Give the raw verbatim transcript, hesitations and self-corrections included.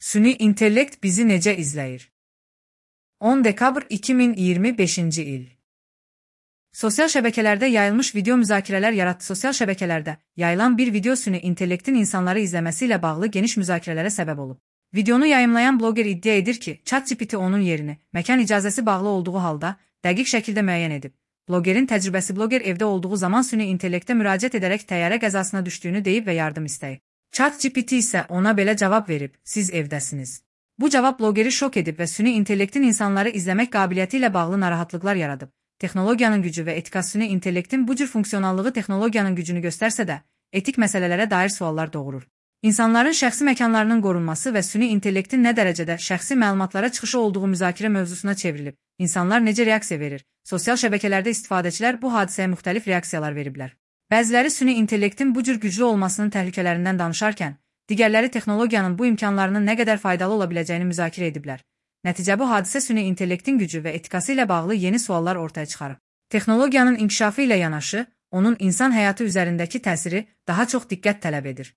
Süni intellekt bizi necə izləyir? on dekabr iki min iyirmi beşinci il. Sosial şəbəkələrdə yayılmış video müzakirələr yaratdı. Sosial şəbəkələrdə yayılan bir video süni intellektin insanları izləməsi ilə bağlı geniş müzakirələrə səbəb olub. Videonu yayımlayan bloger iddia edir ki, ChatGPT onun yerini, məkan icazəsi bağlı olduğu halda dəqiq şəkildə müəyyən edib. Blogerin təcrübəsi bloger evdə olduğu zaman süni intellektə müraciət edərək təyyarə qəzasına düşdüyünü deyib və yardım istəyib. ChatGPT isə ona belə cavab verib, siz evdəsiniz. Bu cavab blogeri şok edib və süni intellektin insanları izləmək qabiliyyəti ilə bağlı narahatlıqlar yaradıb. Texnologiyanın gücü və etikası süni intellektin bu cür funksionallığı texnologiyanın gücünü göstərsə də, etik məsələlərə dair suallar doğurur. İnsanların şəxsi məkanlarının qorunması və süni intellektin nə dərəcədə şəxsi məlumatlara çıxışı olduğu müzakirə mövzusuna çevrilib. İnsanlar necə reaksiya verir? Sosial şəbəkələrdə istifadəçilər bu hadisəyə müxtəlif reaksiyalar veriblər. Bəziləri süni intellektin bu cür güclü olmasının təhlükələrindən danışarkən, digərləri texnologiyanın bu imkanlarının nə qədər faydalı ola biləcəyini müzakirə ediblər. Nəticə bu hadisə süni intellektin gücü və etikası ilə bağlı yeni suallar ortaya çıxarıb. Texnologiyanın inkişafı ilə yanaşı, onun insan həyatı üzərindəki təsiri daha çox diqqət tələb edir.